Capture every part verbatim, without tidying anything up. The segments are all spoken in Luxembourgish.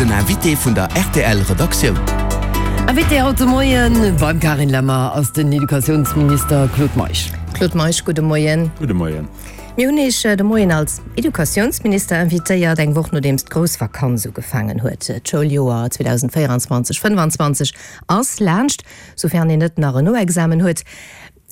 Den Invité vun der R T L Redaktioun. Invité haut de Moien beim Carine Lemmer ass den Educatiounsminister Claude Meisch. Claude Meisch, gudde Moien. Gudde Moien. Mir hunn Iech de Moien als Educatiounsminister invitéiert, eng Woch nodeems d'grouss Vakanz ugefaangen huet. D'Schouljoer zweedausendvéierenzwanzeg fënnfanzwanzeg ass laanscht, soufern een net nach en Noexamen huet.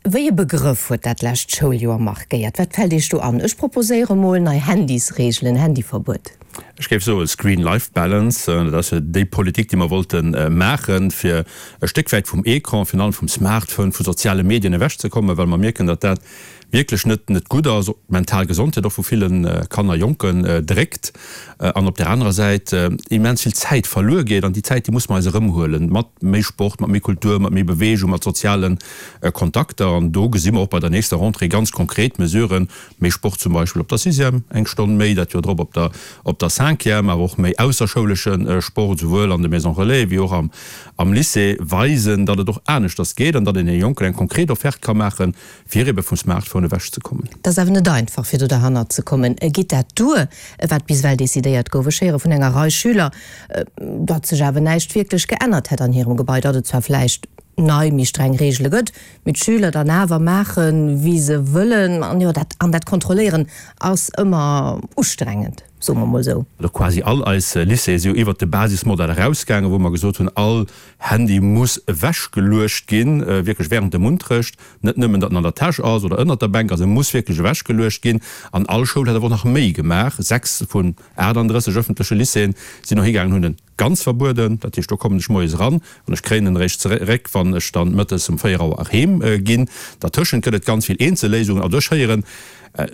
Wéi e Begrëff huet dat lescht Schouljoer markéiert? Wat fält Iech do an? Ech proposéiere mol nei Handysreegelen, Handyverbuet. Ech géif soe Screen-Life-Balance. Dat ass jo déi Politik, déi mer wollte maachen, fir e Stéck wäit vum Ecran, virun allem vum Smartphone, vu soziale Medien ewechzekommen, well mer mierken, datt dat wierklech net net gutt ass, op d'mental Gesondheet och vu ville Kanner, Jonken dréckt an op där anerer Säit immens vill Zäit verluer geet. An déi Zäit, déi muss mer eis erëmhuelen, mat méi Sport, mat méi Kultur, mat méi Beweegung, mat soziale Kontakter. An do gesi mer och bei der nächster Rentrée ganz konkret Mesuren, méi Sport zum Beispill op der Sixième, eng Stonn méi, dat Joer drop op der op der Cinquième, awer och méi ausserschoulesche Sport, souwuel an de Maisons relais wéi och am am Lycée, weisen, datt et och aneschters geet an datt een deene Jonken eng konkret Offerte ka maachen, fir ebe vum Smartphone ewech ze kommen. Et ass awer net einfach, fir do derhannert ze kommen. Geet dat duer, wat bis ewell decidéiert gouf? Ech héiere vun enger Rei Schüler, datt sech awer näischt wierklech geännert hätt an hirem Gebai, datt et zwar vläicht nei, méi streng Reegele gëtt, mee d'Schüler dann awer maachen, wéi se wëllen. An jo, dat, an dat Kontrolléieren ass ëmmer ustrengend, soe mer mol esou. Also quasi all eis Lycéeë si jo iwwert de Basismodell erausgaangen, wou mer gesot hunn, all Handy muss ewechgeluecht ginn, wierklech während dem Unterrecht, net nëmmen, datt en an der Täsch ass oder ënnert der Bänk ass, e muss wierklech ewechgeluecht ginn. An all Schoul huet awer och nach méi gemaach. Sechs vun aachtanddrësseg ëffentleche Lycéeën sinn och higaangen, hunn en ganz verbueden. Dat heescht, do kommen ech moies eran an ech kréien en eréischt zeréck, wann ech dann mëttes um véier Auer erheem ginn. Dertëschent gëtt et ganz vill eenzel Léisungen. Also ech héieren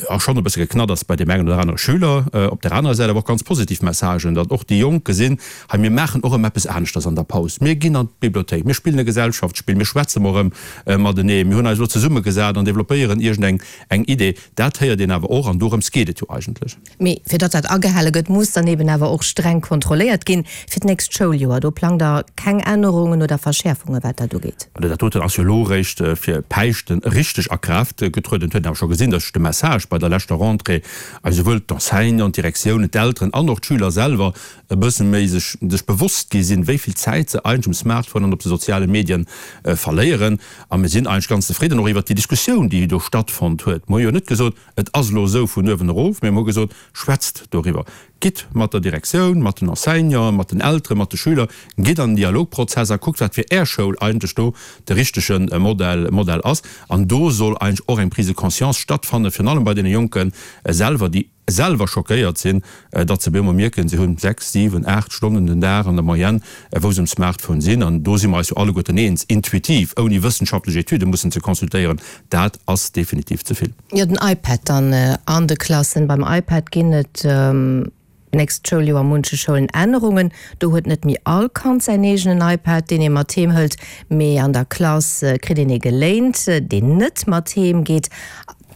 och schonn e bësse Geknadders bei deem engen oder anere Schüler, op där anerer Säit awer och ganz positiv Messagen, datt och déi Jonk gesinn, hei mir maachen och erëm eppes aneschters an der Paus, mir ginn an d'Bibliothéik, mir spillen e Gesellschaftsspill, mir schwätze mol erëm matenee, mir hunn eis elo zesummegesat an developpéieren iergend eng Idee. Dat héiert een awer och an dorëms geet et jo eigentlech. Mee fir datt dat agehale gëtt, muss dann eben awer och streng kontrolléiert ginn. Fir d'nächst Schouljoer, do plangt Der keng Ännerungen oder Verschäerfungen, wat dat ugeet? Also dat doten ass jo elo eréischt fir Päischten richteg a Kraaft getrueden. Et huet een awer scho gesinn, datt de Message bei der leschter Rentrée esouwuel d'Enseignanten, d'Direktiounen, d'Elteren an och d'Schüler selwer e bësse méi sech sech bewosst gi sinn, wéi vill Zäit se eigentlech um Smartphone an op de soziale Medien verléieren. A mir sinn eigentlech ganz zefridden och iwwert déi Diskussioun, déi do stattfonnt huet. Mir hu jo net gesot, et ass elo esou vun uewen erof, mee mir hu gesot, schwätzt doriwwer, gitt mat der Direktioun, mat den Enseignanten, mat den Elteren, mat de Schüler, gitt an den Dialogprozess a kuckt, wat fir Är Schoul eigentlech do de richtege Modell Modell ass. An do soll eigentlech och eng Prise de conscience stattfannen, virun allem bei deene Jonke selwer, déi selwer schockéiert sinn, datt se op eemol mierken, se hunn sechs, siwen, aacht Stonnen den Dag an der Moyenne, wou se um Smartphone sinn. An do si mer eis jo alleguerten eens, intuitiv, ouni wëssenschaftlech Etüde mussen ze consultéieren, dat ass definitiv ze vill. Jo, den iPad dann an de Klassen. Beim iPad ginn et d'nächst Schouljoer a munche Schoulen Ännerungen. Do huet net méi all Kand säin eegenen iPad, deen ee mat heem hëlt, mee an der Klass kritt een ee geléint, deen net mat heem geet.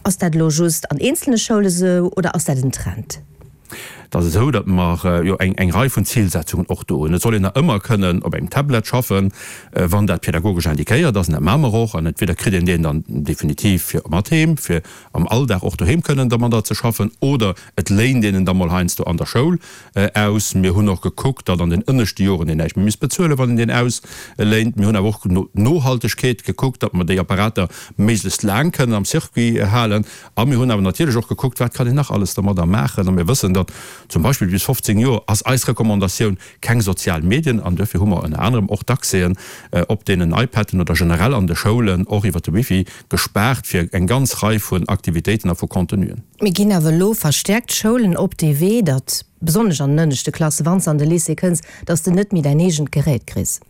Ass dat elo just an eenzelne Schoule sou oder ass dat en Trend? Et ass esou, datt mer jo eng eng Rei vun Zilsetzungen och do hunn. Et soll een nach ëmmer kënnen op engem Tablet schaffen, wann dat pädagogesch indiquéiert ass, an dat maache mer och. An entweder kritt een deen dann definitiv fir mat heem, fir am Alldag och doheem kënnen dermadder ze schaffen, oder et léint een en da mol heiansdo an der Schoul aus. Mir hunn och gekuckt, datt an den ënneschte Joren een näischt méi misst bezuelen, wann een deen ausléint. Mir hunn awer och no d'Nohaltegkeet gekuckt, datt mer déi Apparater méiglechst laang kënnen am Circuit halen. A mir hunn awer natierlech och gekuckt, wat kann een nach alles dermadder maachen. A mir wëssen, datt zum Beispill bis fofzéng Joer ass eis Recommandatioun keng sozial Medien. An duerfir hu mer ënner anerem och d'Accèsen op deenen iPaden oder generell an de Schoulen och iwwert de Wifi gespaart fir eng ganz Rei vun Aktivitéiten a vu Contenuen. Mir ginn awer elo verstäerkt Schoulen op dee Wee, datt besonnesch an den ënneschte Klassen, wann s de an de Lycée kënns, datt s de net méi däin eegent Gerät kriss.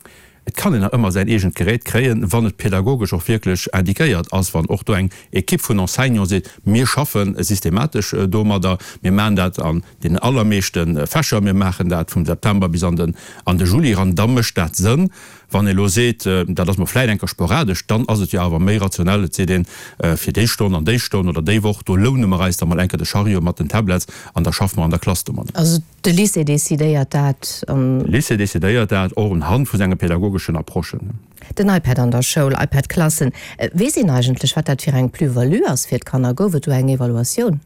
Et kann een nach ëmmer säin eegent Gerät kréien, wann et pädagogesch och wierklech indiquéiert ass, wann och do eng Equipe vun Enseignants seet, mir schaffe systematesch domadder, mir maachen dat an deenen allermeeschte Fächer, mir maachen dat vum September bis an den an de Juli eran, da mécht dat Sënn. Wann ee elo seet, dat ass mol vläit eng Kéier sporadesch, dann ass et jo awer méi rationell, et seet een, fir déi Stonn an déi Stonn oder déi Woch, do loune mer eis da mol eng Kéier de Chariot mat den Tablets an da schaffe mer an der Klass domadder. Also de Lycée decidéiert dat an. De Lycée decidéiert dat, och unhand vu senge pädagogeschen Approchen. Den iPad an der Schoul, iPad-Klassen, weess een eigentlech, wat dat fir eng Plus-value ass fir d'Kanner? Gouf et do eng Evaluatioun?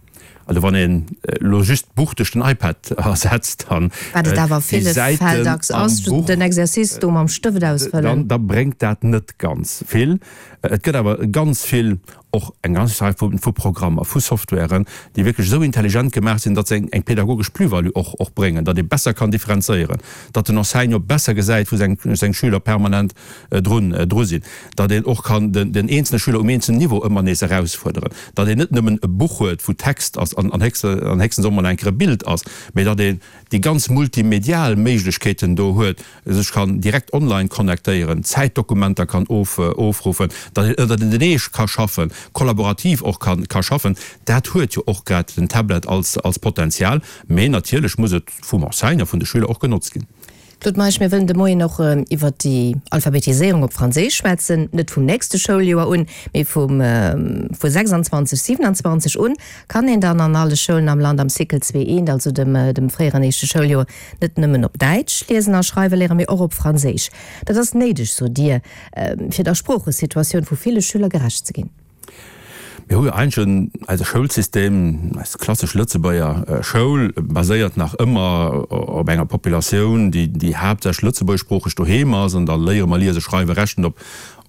Also wann een elo just d'Buch duerch den iPad ersetzt, dann Wat et awer a déi ville Fäll Säiten dacks am ass, Buch, den Exercice do mam Stëft ausfëllen. dann da bréngt dat net ganz vill. Et gëtt awer ganz vill, och eng ganz Rei vu vu Programmer, vu Softwaren, déi wierklech esou intelligent gemaach sinn, datt se eng eng pädagogesch Plus-value och och bréngen, datt ee besser kann differenzéieren, datt den Enseignant besser gesäit, wou seng seng Schüler permanent drun dru sinn, datt een och kann den den eenzelne Schüler um eenzelnen Niveau ëmmer nees erausfuerderen, datt een net nëmmen e Buch huet, wou Text ass an an héchstens och mol eng Kéier e Bild ass, mee datt een déi ganz multimedial Méiglechkeeten do huet, sech kann direkt online connectéieren, Zäitdokumenter kann of ofruffen, datt een ënnertenee ka schaffen, kollaborativ och ka ka schaffen. Dat huet jo och grad den Tablet als als Potenzial, mee natierlech muss et vum Enseignant, vun de Schüler och genotzt ginn. Claude Meisch, mir wëllen de Moien och iwwert déi Alphabetiséierung op Franséisch schwätzen, net vum nächste Schouljoer un, mee vum vu sechsanzwanzeg, siewenanzwanzeg un. Kann een dann an alle Schoulen am Land am Cycle zwee eent, also dem dem fréieren éischte Schouljoer, net nëmmen op Däitsch liesen a schreiwe léieren, mee och op Franséisch. Dat ass néideg, sot Dir, fir der Sproochesituatioun vu ville Schüler gerecht ze ginn. Mir hu jo eigentlech eise Schoulsystem, eis klassesch Lëtzebuerger Schoul baséiert nach ëmmer op enger Populatioun, déi déi haaptsächlech lëtzebuergeschsproocheg doheem ass, an da léiere mer liese, schreiwe, rechnen op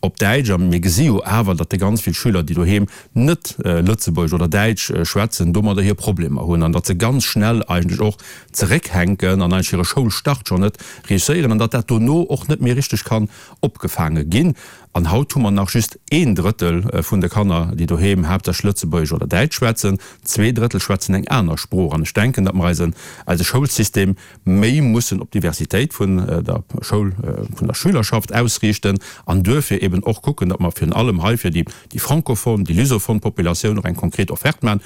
op Däitsch. A mir gesi jo awer, datt déi ganz vill Schüler, déi doheem net Lëtzebuergesch oder Däitsch schwätzen, domadder hir Problemer hunn an datt se ganz schnell eigentlech och zeréckhänken an eigentlech hire Schoulstart schonn net réusséieren an datt dat dono och net méi richteg kann opgefaange ginn. An haut hu mer nach just een Drëttel vun de Kanner, déi doheem haaptsächlech Lëtzebuergesch oder Däitsch schwätzen. Zwee Drëttel schwätzen eng aner Sprooch. An ech denken, datt mer eisen, eise Schoulsystem méi mussen op d'Diversitéit vun der Schoul, vun der Schülerschaft ausriichten an duerfir eben och kucken, datt mer virun allem hei fir déi, déi francophone, déi lusophone Populatioun och eng konkret Offerte maachen.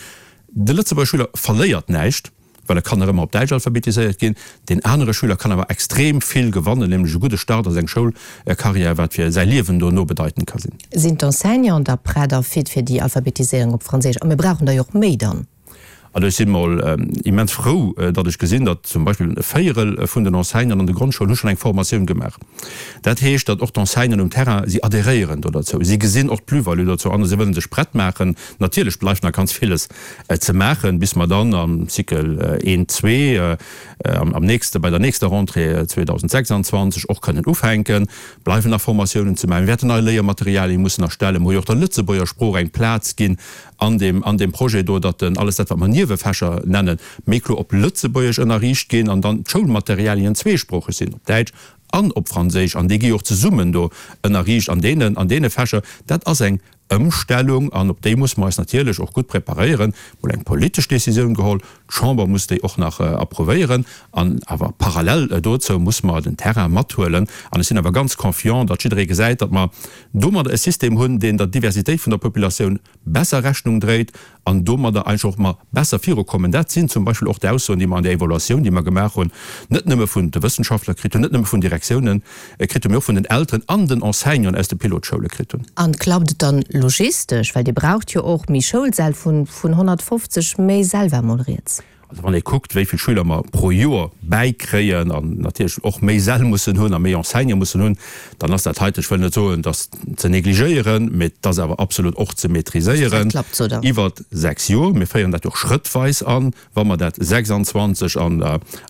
De Lëtzebuerger Schüler verléiert näischt, well e kann nach ëmmer op Däitsch alphabetiséiert ginn. Deen anere Schüler kann awer extrem vill gewannen, nämlech e gudde Start a seng Schoulkarriär, wat fir säi Liewen dono bedeitend ka sinn. Sinn d'Enseignanten da prett a fit fir déi Alphabetiséierung op Franséisch? A mir brauchen der jo och méi dann. Also ech si mol immens frou, datt ech gesinn, datt zum Beispill e Véierel vun den Enseignanten an de Grondschoulen hu schonn eng Formatioun gemaach. Dat heescht, datt och d'Enseignanten um Terrain, si adhéréieren do derzou, si gesinn och d'Plus-value dozou an a si wëllen sech prett maachen. Natierlech bleift nach ganz villes ze maachen, bis mer dann am Cycle een, zwee, am nächste, bei der nächster Rentrée zweedausendsechsanzwanzeg och kënnen ufänken. Bleiwen nach Formatiounen ze maachen. Mir wäerten nei Léiermaterialien mussen erstellen. Mir hu jo och der Lëtzebuerger Sprooch eng Plaz ginn an deem, an deem Projet do, datt alles dat, wat mer Niewefächer nennen, méi kloer op Lëtzebuergesch ënnerriicht ginn an dann d'Schoulmaterialien zweesproocheg sinn, op Däitsch an op Franséisch, an déi gi jo och zesummen do ënnerriicht an deenen, an deene Fächer. Dat ass eng Ëmstellung an op déi musse mer eis natierlech och gutt preparéieren. Mol eng politesch Décisioun geholl, d'Chamber muss déi och nach approuvéieren an awer parallel dozou musse mer den Terrain mathuelen. An ech sinn awer ganz confiant, datt jidderee gesäit, datt mer domadder e System hunn, deen der Diversitéit vun der Populatioun besser Rechnung dréit an domadder eigentlech och mer besser virukommen. Dat sinn zum Beispill och d'Aussoen, déi mer an där Evaluatioun, déi mer gemaach hunn, net nëmme vun de Wëssenschaftler kritt hunn, net nëmme vun Direktiounen kritt hunn, mee och vun den Elteren an den Enseignanten aus de Pilotschoule kritt hunn. An klappt et dann logistesch? Well Dir braucht jo och méi Schoulsäll, vun honnertfofzeg méi Säll war mol rieds. Also wann ee kuckt, wéi vill Schüler mer pro Joer bäikréien an natierlech och méi Säll mussen hunn a méi Enseignante mussen hunn, dann ass dat heite, ech wëll net soen, dass ze négligéieren, mee et ass awer absolut och ze maîtriséieren iwwer sechs Joer. Mir féieren dat jo och schrëttweis an. Wa mer dat sechsanzwanzeg an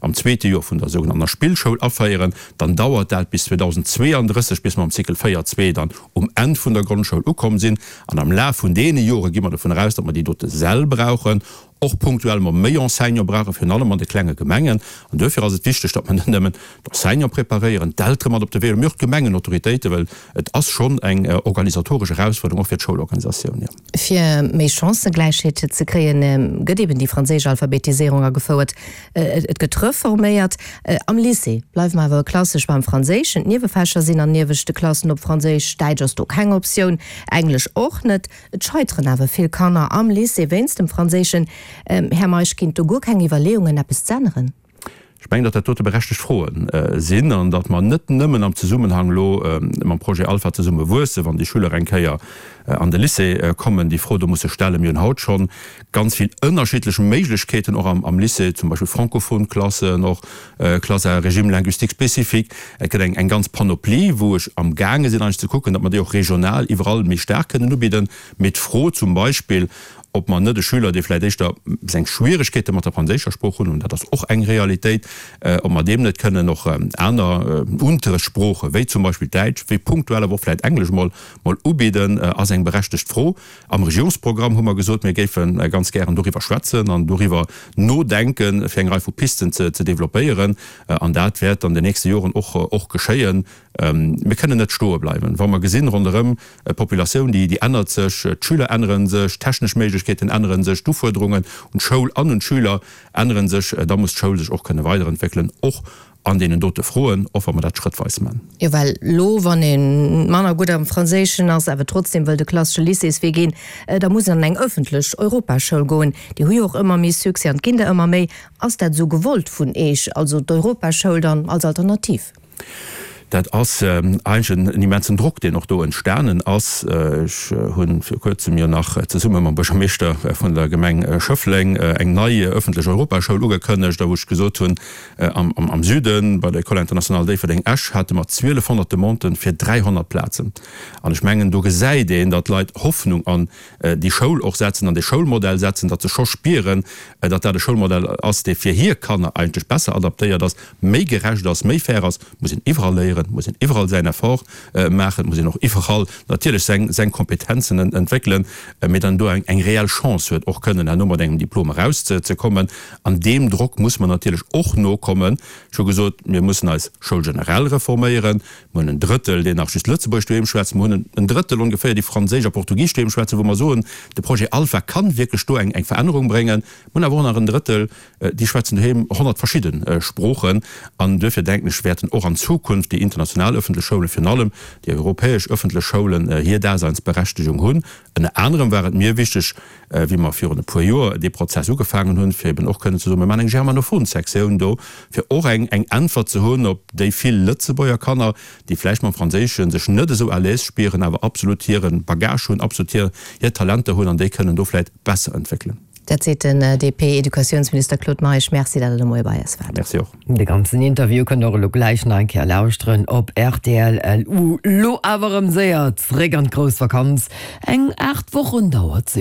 am zweete Joer vun der sougenannter Spillschoul aféieren, dann dauert dat bis zweedausendzweeandrësseg, bis mer am Cycle véier zwee dann um Enn vun der Grondschoul ukomm sinn. An am Laf vun deene Jore gi mer dovun eraus, datt mer déi dote Säll brauchen, och punktuell mer méi Enseignante brauchen, virun allem an de klenge Gemengen. An duerfir ass et wichteg, datt mer net nëmmen d'Enseignante preparéieren, d'Eltere mat op de Wee huelen, mee och d'Gemengenautoritéiten, well et ass schonn eng organisatoresch Erausfuerderung och fir d'Schoulorganisatioun, jo. Fir méi Chancëgläichheet ze kréien, gëtt eben déi franséisch Alphabetiséierung agefouert. Et gëtt reforméiert. Am Lycée bleiwe mer awer klassesch beim Franséischen. D'Niewefächer sinn an nieweschte Klassen op Franséisch. Däitsch ass do keng Optioun, Englesch och net. Et scheiteren awer vill Kanner am Lycée wéinst dem Franséischen. Här Meisch, ginn et do guer keng Iwwerleeungen, eppes z'änneren? Ech mengen, datt dat dote berechtegt Froe sinn an datt mer net nëmmen am Zesummenhang elo mam Projet Alpha zesumme wuessen, wann déi Schüler eng Kéier an de Lycée kommen, déi Fro do musse stellen. Mir hunn haut scho ganz vill ënnerschiddlech Méiglechkeeten och am Lycée, zum Beispill francophone Klassen, och Classes à régime linguistique spécifique. Et gëtt eng ganz Panoplie, wou ech amgaange sinn eigentlech ze kucken, datt mer déi och regional iwwerall méi staark kënnen ubidden. Mee d'Fro zum Beispill, ob mer net de Schüler, dee vläicht éischter seng Schwieregkeete mat der franséischer Sprooch hunn, an dat ass och eng Realitéit, ob mer deem net kënnen och aner Unterrechtssprooche wéi zum Beispill Däitsch, wéi punktuell awer och vläicht Englesch mol mol ubidden, ass eng berechtegt Fro. Am Regierungsprogramm hu mer gesot, mir géife ganz gären doriwwer schwätzen an doriwwer nodenken, fir eng Rei vu Pisten ze ze developpéieren. An dat wäert an den nächste Joren och och geschéien. Mir kënnen net stoe bleiwen, wa mer gesinn ronderëm, d'Populatioun, déi ännert sech, d'Schüler ännere sech, d'technesch Méiglechkeeten ännere sech, d'Ufuerderungen un d'Schoul an un d'Schüler ännere sech. Da muss d'Schoul sech och kënne weiderentwéckelen, och an deenen dote Froen, och wa mer dat schrëttweis man. Jo, well elo, wann ee manner gutt am Franséischen ass, awer trotzdem wëll de klassesche Lycéeswee ginn, da muss een an eng ëffentlech Europaschoul goen. Déi hu jo och ëmmer méi Succès an et ginn der ëmmer méi. Ass dat esou gewollt vun Eech, also d'Europaschoul dann als Alternativ? Dat ass eigentlech en immensen Drock, deen och do entstanen ass. Ech hu vir kuerzem jo nach zesumme mam Buergermeeschter vun der Gemeng Schëffleng eng nei ëffentlech Europaschoul ugekënnegt, a wou ech gesot hunn, am Süden, bei der École internationale Déifferdeng-Esch, hate mer zwielefhonnert Demanden fir dräihonnert Plazen. An ech mengen, do gesäit een, datt d'Leit Hoffnung an déi Schoul och setzen, an dee Schoulmodell setzen, datt se scho spieren, datt dat e Schoulmodell ass, dee fir hir Kanner eigentlech besser adaptéiert ass, méi gerecht ass, méi fair ass. Et muss een iwwerall léieren, et muss een iwwerall säin Effort maachen, et muss een och iwwerall natierlech seng, seng Kompetenzen entwéckelen, mee dann do eng, eng reell Chance huet, och kënnen herno mat engem Diplom erauszekommen. An deem Drock muss mer natierlech och nokommen. Ech hu gesot, mir mussen eis Schoul generell reforméieren. Mir hunn en Drëttel, deen nach just Lëtzebuergesch doheem schwätzt. Mir hunn en Drëttel ongeféier, déi Franséisch a Portugisesch doheem schwätzen, wou mer soen, de Projet Alpha kann wierklech do eng, eng Verännerung bréngen. Mir hunn awer och nach en Drëttel, déi schwätzen doheem honnert verschidde Sproochen. An duerfir denken ech, wäerten och an Zukunft déi international öffentlech Schoulen, virun allem déi europäesch öffentlech Schoulen, hir Daseinsberechtegung hunn. Ënner anerem war et mir wichteg, wéi mer virun e puer Joer dee Prozess ugefaangen hunn, fir eben och kënnen ze soen, mir maachen eng germanophon Sektioun do, fir och eng eng Äntwert ze hunn op déi vill Lëtzebuerger Kanner, déi vläicht mam Franséische sech net esou à l'aise spieren, awer absolut hire Bagage hunn, absolut hir hir Talenter hunn an déi kënnen do vläicht besser entwéckelen. Dat seet den D P-Educatiounsminister Claude Meisch. Merci, datt Der de Moie bei eis waart. Merci och. De ganzen Interview kënnt Der och elo gläich nach eng Kéier lauschteren op R T L L U. Lo awer erëm séier zréck an d'grouss Vakanz. Eng aacht Wochen dauert se jo.